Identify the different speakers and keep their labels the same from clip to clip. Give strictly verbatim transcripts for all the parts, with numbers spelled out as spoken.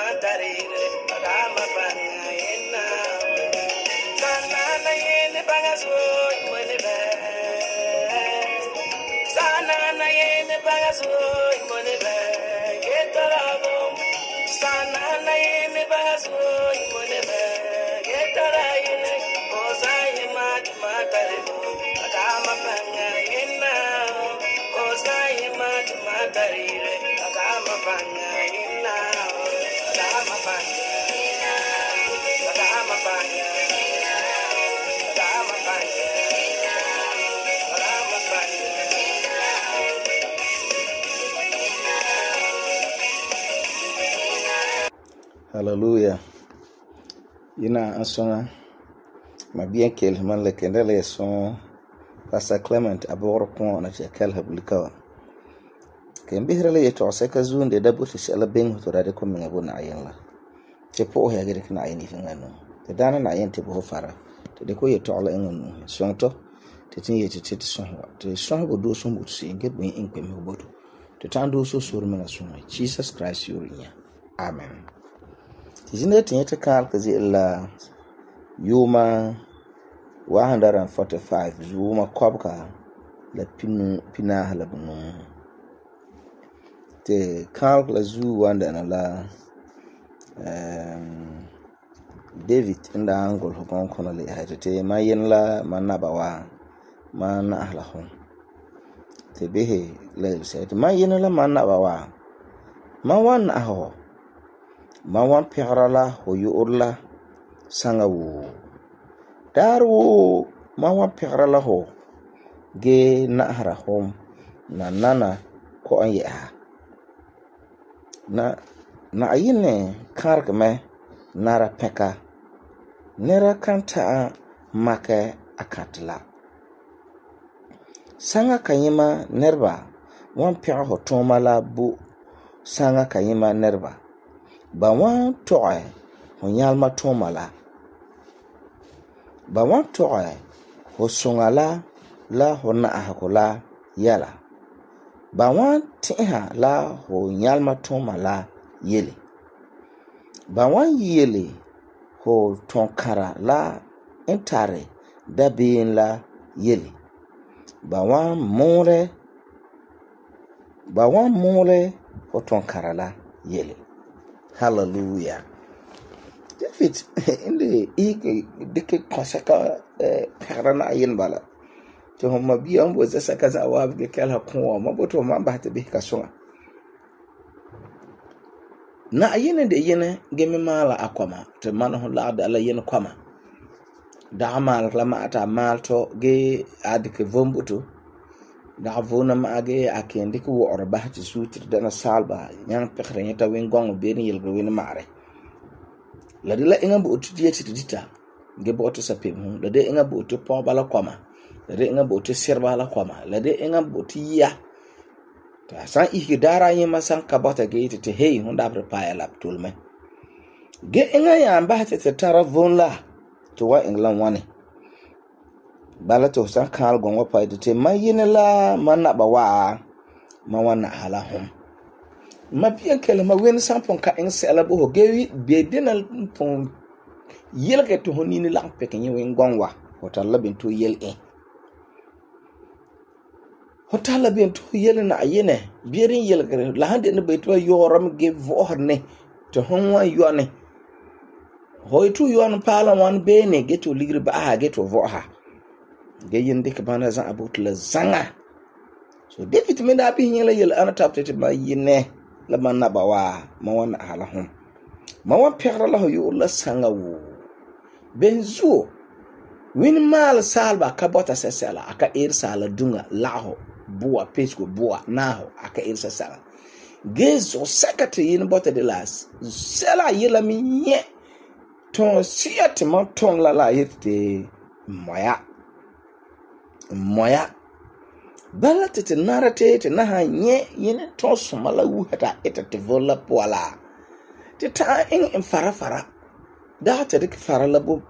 Speaker 1: matarire adama banga ina sana na yene bagaso imone be sana na yene bagaso imone be getarabo sana na yene bagaso imone be getaraine osai mat matarire adama banga ina osai mat matarire adama banga ina adama banga adama banga adama banga adama banga.
Speaker 2: Hallelujah. Yina ansona ma bien kel man le kendele son Pastor Clement aboro kon na chekel hablikawa. Kembihre le yeto seka zunde da buti sala beng to rade ko minga bona ayenla. Te po ya gere kana ayeni fingano. Te dana na ayente bo fara. Te de ko yeto ala engonu. Sonto te tin yete te sonwa. Te sonwa do so mutsi nge bo inkwe me bodo. Te tando so suru menga sonwa. Jesus Christ yurinya. Amen. Tijine tinyete kal kazi illa yuma one forty-five yuma kwabka la pinu pina halabunu. Te kal la zu wanda na la um, David inda angol hukon kono le haite te mayen la manaba wa man ahla hon. Te behe le se te mayen la manaba wa ma wan aho ma wan pigrala ho yurla sangawu daru ma wan pigrala ho ge nahra hom na nana ko an ya na na ayine kargme nara peka nera kanta make akatla sanga kanyima nerba wan pigra ho tomala bu sanga kanyima nerba ba wan toy ho nyalma tomala ba wan toy ho sungala la ho na hakola yala ba wan tiha la ho nyalma tomala yele ba wan yele ho tonkara la intare dabin la yele ba wan more ba wan more ho tonkara la yele. Hallelujah. David inde ike dike konsaka parana ayin bala to homa biya mbo zasa kaza wa bi kala ko ma boto ma ba ta bi kasonga na ayin de yene gemi mala akwama te man ho la da la yen kwama da mal la ma ata mal to ge adike vombuto da vona ma ge akende ko wor ba ti sutir dana salba nyang pekre nyata wen gong be ni yelgo wen mare la de la inga bo tu dieti dita ge bo to sapem hu la de inga bo to po bala kwama la de inga bo to serba la kwama la de inga bo to ya ta san iki dara yema san kabata ge ti te hey hu da prepare la tulme ge inga ya ba ta tara vonla to wa england wane bala to san kal gongo pa de mayine la manaba wa ma wana hala hom ma bien kele ma wen sampon ka en sela bo gewi be denal pon yelke to honini la peke ni wen gonwa hotalla ben to yel en hotalla ben to yel na ayene bierin yelgere la hande ne be to yoram ge vorne to honwa yone hoytu yon pala wan bene geto ligri ba ha geto voha ge yende ke bana za abut la zanga so David me da bi nyela yel ana tapte ma yine la manaba wa ma wan ala hum ma wan perra la yo la sanga wo benzo win mal salba ka bota sesela aka ir sala dunga laho bua pesco bua naho aka ir sesela gezo sekate yin bota de las sela yela mi nye ton siate ma ton la la yete moya moya bala tete narate te na nye yene to somala wu hata eta te vola poala te ta in fara fara da ta dik fara labo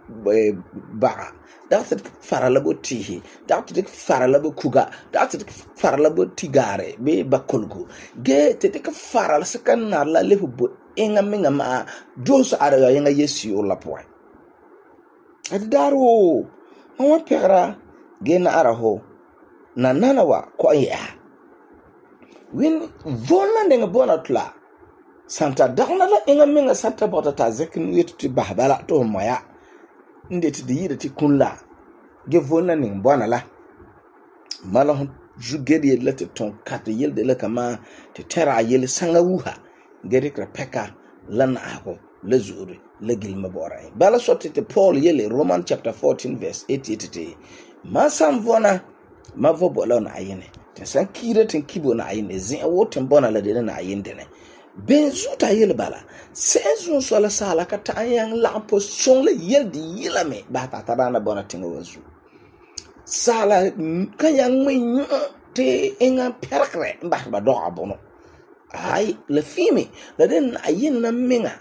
Speaker 2: ba da ta dik fara labo tihi da ta dik fara labo kuga da ta dik fara labo tigare be bakolgo ge te dik fara sakan na la lehu bo enga menga ma dos ara yenga Yesu la poe ati daro ma wa pegara ge na ara ho na nana wa ko ya win vonna ndenge bona tla santa dagna la enga menga santa bota ta zekin yetu bahbala to moya inde ti yida ti kunla ge vonna ning bona la mala hon jugedi la te ton kat yelde la kama te tera yel sanga wuha gere kra peka lana ako la zuri la gilma bora bala sotti te Paul yele Roman chapter fourteen verse eighty-eight ma sam vona ma vo bola na ayene te san kire ten kibo na ayene zin woten bona la de na ayende ne ben zuta yele bala sezu so la sala ka ta yang la position la yelde yilame ba ta tarana bona tinga wazu sala kan yang me te enga perkre ba ba do abono ai la fimi la den ayin na menga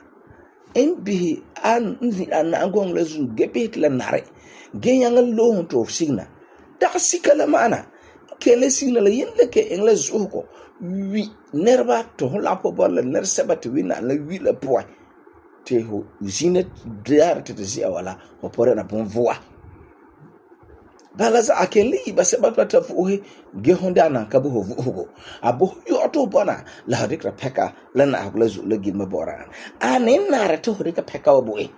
Speaker 2: en bi an an angong la zu gebet la nare gen yang lo to signa da sikala mana kele signa la yin le ke en la zu ko wi nerba to la po bor la ner sabati wi na la wi la po te ho zine dar te zia wala ho pore na bon voa balaza akeli ba se ba ta fuhe ge honda na ka bo ho abo yo to bona la dikra peka la na agla zu la gilma bora anen na ra to dikra peka obo e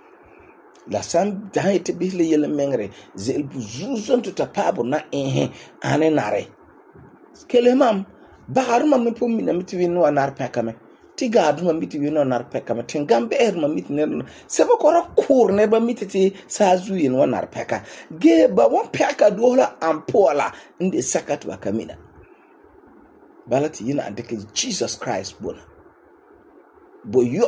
Speaker 2: la san daite bi le yele mengre zel bu zuzon to tapabo na eh anen na re kele mam bahar mam me pom na miti no anar peka me tiga duma miti no anar peka me tingambe er mam miti ne se ba kora kur ne ba miti ti sa zuyi no anar peka ge ba won peka dola ampola inde sakat ba kamina balati yina andeke Jesus Christ bona bo yo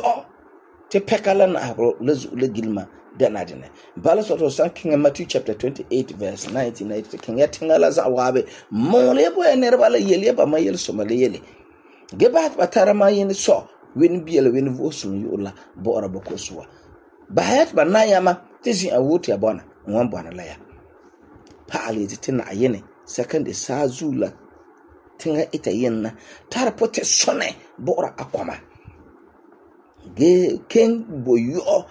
Speaker 2: te peka la na lezu le gilma dana dene bala soto san King Matthew chapter twenty-eight verse nineteen ninety king ya tingala za wabe mole bo ener bala yele ba mayel somale yele gebat batara ma yin so wen biele wen vosum yola bo ora boko suwa bayat ba na yama tizi awuti abona wan bona la ya pali titina ayene second sazula tinga ita yenna tar pote sone bo ora akwama ge ken boyo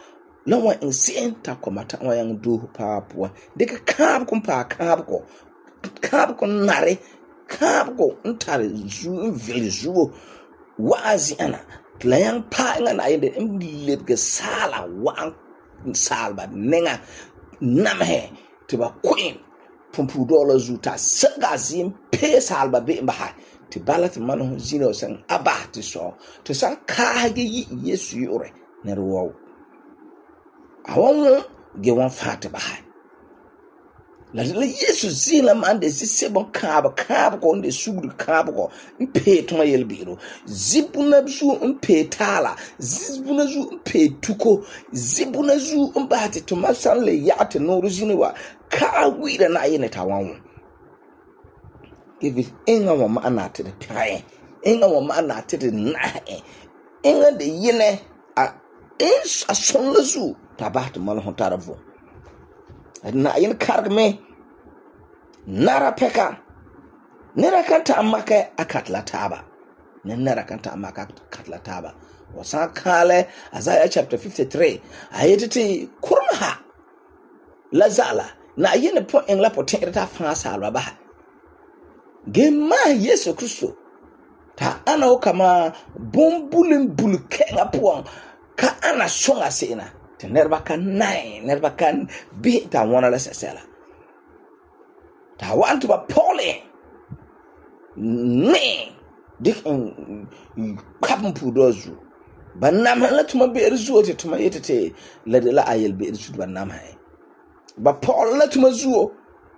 Speaker 2: lawa insin ta komata wa yang du papua deka kab kom pa kab ko kab ko nare kab ko ntare zu vile zu wazi ana tlayang pa ngana yende imlet ge sala wa salba nenga namhe tiba queen pumpu dola zu ta saga zim pe salba be mba ti balat manu zino san abati so to san ka ge Yesu yore ne ro awon ge won fata ba la la Yesu zila mande si sebon kab kab ko nde sugru kab ko mpe to mayel biro zibuna zu mpe tala zibuna zu mpe tuko zibuna zu mbati to masan le yate no ruzini wa ka wira na yene tawanwo give enga wa ma na te tai enga wa ma na te na enga de yene a is a sonlazu tabat mal hontaravo na yin kargme nara peka nera kanta amaka akatla taba nera kanta amaka akatla taba wasa kale Isaiah chapter fifty-three ayetiti kurmaha lazala na yin po en la potin ta fa salwa ba gema Yesu Kristo ta ana kama bombulin bulkenga po ka ana songa sena nerba kan nai nerba kan bi ta wana la sesela ta want ba pole ne dik in kapun pudozu banam la tuma be erzuo te tuma yetete la de la ayel be erzu banam hai ba pole la tuma zuo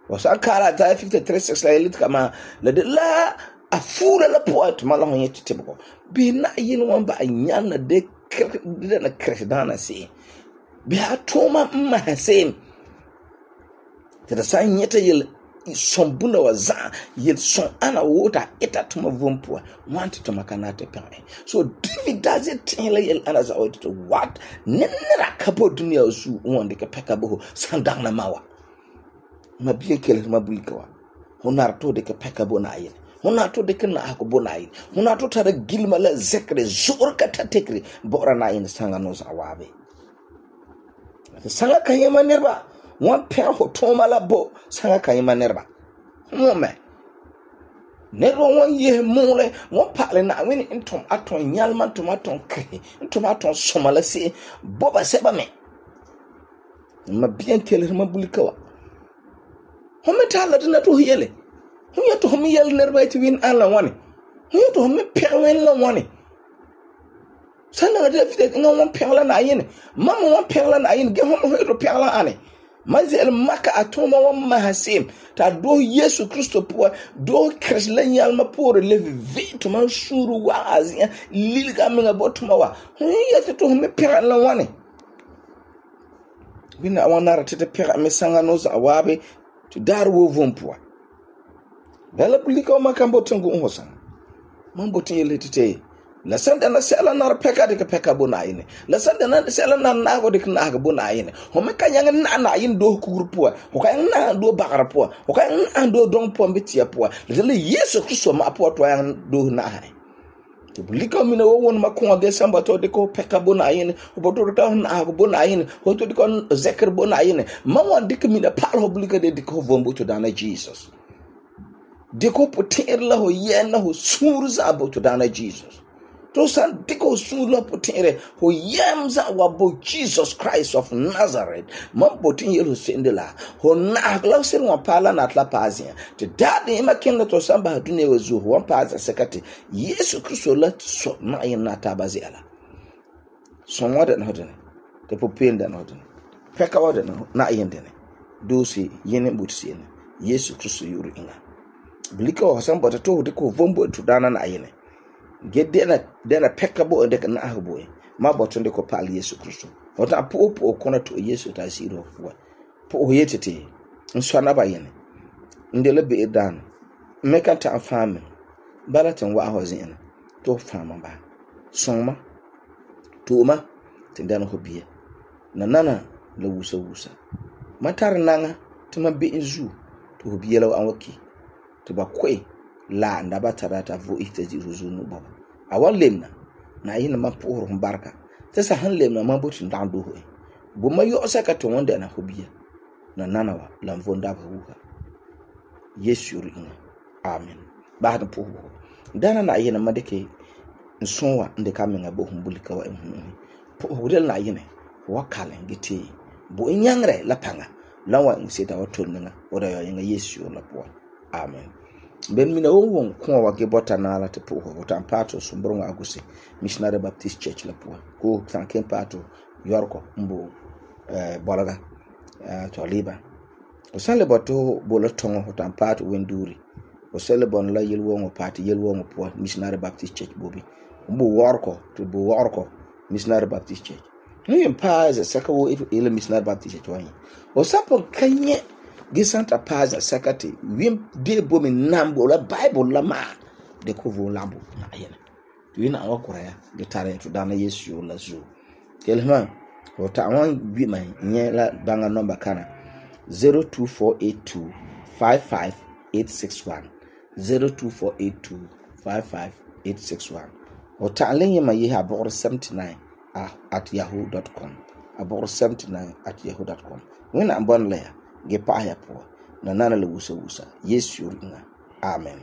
Speaker 2: wasa kara ta fifty-three six la yelit kama la de la afura la poet malon yetete boko bi na yin wan ba nyana de de na kredana si bi atoma mahasem te da san yeta yel sombuna waza yel son ana wota eta tuma vompua want to makanate pe so David does it tell yel ana za to what nenera kabo dunia zu wonde ke peka bo sandana mawa mabie kele mabulikawa honar to de ke peka bo na yel hon na to dikk na'ahegɔ bo Na'ayinɛ, hon na to tara gilema la zɛkere zo'ore ka ta tekere bɔ'ɔra Na'ayinɛ saŋa no za'a waabe. Saŋa kayema nireba wan pɛgɛ ho tuuma la bo saŋa kayema nireba. Hon me nireba wan yehe muule wan pa'ale Na'ayinɛ n tom a tom nyalema n tom a tom kihi n tom a tom soma la se'em bo ba sɛba me. Ma biɛn kelere ma bulika wa. Hon me tala dina to yele. Hon ya to hon me yele nireba ti win an la wani. Hon ya to hon me pɛgɛ win la wani. Sanna da David nga wan pɛgɛ la Na'ayinɛ. Mama wan pɛgɛ la Na'ayinɛ ge hon ho to pɛgɛ la ane. Mazil maka atoma wan mahasim ta do Yesu Kristo po do Christ la nyalma por le vi to man suru wa azia lilga menga botuma wa. Hon ya to hon me pɛgɛ la wani. Bina wan nara tete pɛgɛ me sanga no za wabe to dar wo vompoa. Bela bulika ma kan botin go hosan. Man botin yele tete. La sanda na sela nar peka de peka bo Na'ayinɛ. La sanda na sela na na go de na go bo Na'ayinɛ. Ho me kan yang na Na'ayinɛ do kurupoa. Ho kan na do bagara poa. Ho kan na do don po mbetia poa. Le Yesu Kristo ma po to yang do na hai. To bulika mi na wo won ma ko de samba to de ko peka bo Na'ayinɛ. Ho bo to ta na go bo Na'ayinɛ. Ho to de ko zeker bo Na'ayinɛ. Ma wan dik mi na pal ho bulika de ko vombo to dana Jesus. De ko poter la ho yena ho surza bo to dana Jesus. To san diko sula potere ho yamza wabo Jesus Christ of Nazareth. Man potin yelo sendela. Ho na glauser wan pala na tla pazia. Te dade ima kenda to samba dune wezu wan paza sekati. Yesu Kristo la so na yena tabazi ala. So wada na hodene. Te popenda na hodene. Peka wada na yendene. Dosi yene butsi yene. Yesu Kristo yuru inga. Blika wa samba to diko vombo to dana na yene. Get dena dena peka bo de na ahbo ma boton de ko pal Yesu Kristo wota po po kona to Yesu ta siro fuwa po yetete nso na ba yene ndele be dan meka ta fam balatin wa hozin to fam ba soma to ma tindan ho biye na nana la wusa wusa matar nanga tuma be inzu to biye law an waki to ba koi la ndaba tarata vo itaji ruzunu baba awan lemna na yin ma por barka ta sa han lemna ma botin dan do hoy bu ma yo saka to wanda na hobiya na nanawa lam vonda ba huka Yesu ringa amen ba da po dana na yin ma dake nsonwa inde kamen abo humbulika wa ehunu po hodel na yin wa kalen gite bu nyangre la panga lawa nseta watonga oda yo yin Yesu la po amen. Ben mina won ko wa ge bota na la te po ho tan pato sumbro nga aguse Missionary Baptist Church la po ko tanken pato yorko mbo eh bolaga eh to liba o sale boto bolo tongo ho tan pato wenduri o sale bon la yel wongo pati yel wongo po Missionary Baptist Church bobi mbo worko to bo worko Missionary Baptist Church ni empaze sakawo ile Missionary Baptist Church wani o sapo kanye Gisanta paza sakati wim de bomi nambo la Bible la ma de ko vo lambo na yena wina awa kuraya gitare to dana Yesu la zo kelma o ta won bi mai nye la banga number kana zero two four eight two five five eight six one zero two four eight two five five eight six one o ta lenye ma ye abor seventy-nine at yahoo dot com abor seventy-nine at yahoo dot com wina ambon le ge pa ya po na nana le wusa wusa Yesu ringa amen.